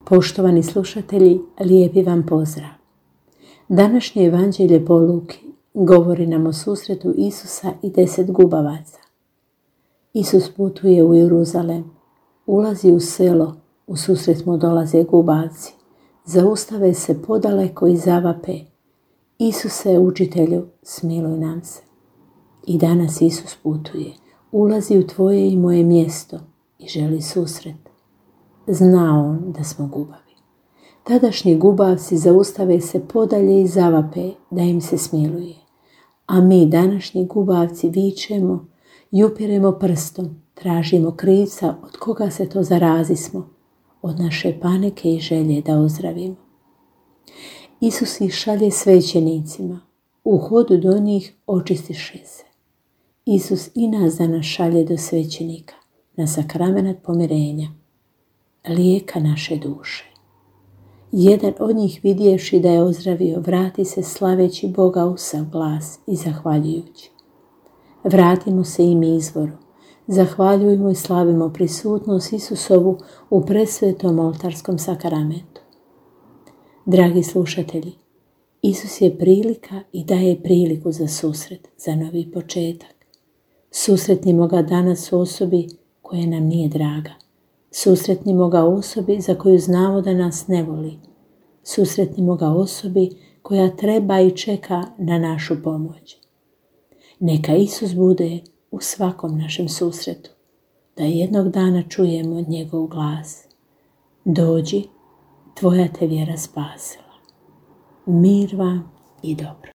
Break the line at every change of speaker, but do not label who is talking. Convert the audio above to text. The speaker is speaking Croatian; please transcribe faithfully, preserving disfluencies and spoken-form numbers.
Poštovani slušatelji, lijepi vam pozdrav. Današnje evanđelje po Luki govori nam o susretu Isusa i deset gubavaca. Isus putuje u Jeruzalem, ulazi u selo, u susret mu dolaze gubavci. Zaustave se podaleko i zavape: Isuse, učitelju, smiluj nam se. I danas Isus putuje, ulazi u tvoje i moje mjesto i želi susret. Zna on da smo gubavi. Tadašnji gubavci zaustave se podalje i zavape da im se smiluje. A mi, današnji gubavci, vičemo i upiremo prstom, tražimo krivca od koga se to zarazismo, od naše panike i želje da ozdravimo. Isus ih šalje svećenicima, u hodu do njih očistiše se. Isus i nas danas šalje do svećenika, na sakramenat pomirenja, lijeka naše duše. Jedan od njih, vidjevši da je ozdravio, vrati se slaveći Boga u sav glas i zahvaljujući. Vratimo se i mi izvoru, zahvaljujmo i slavimo prisutnost Isusovu u presvetom oltarskom sakramentu. Dragi slušatelji, Isus je prilika i daje priliku za susret, za novi početak. Susretnimo ga danas u osobi koja nam nije draga. Susretnimo ga osobi za koju znamo da nas ne voli. Susretnimo ga osobi koja treba i čeka na našu pomoć. Neka Isus bude u svakom našem susretu, da jednog dana čujemo njegov glas: dođi, tvoja te vjera spasila. Mir vam i dobro.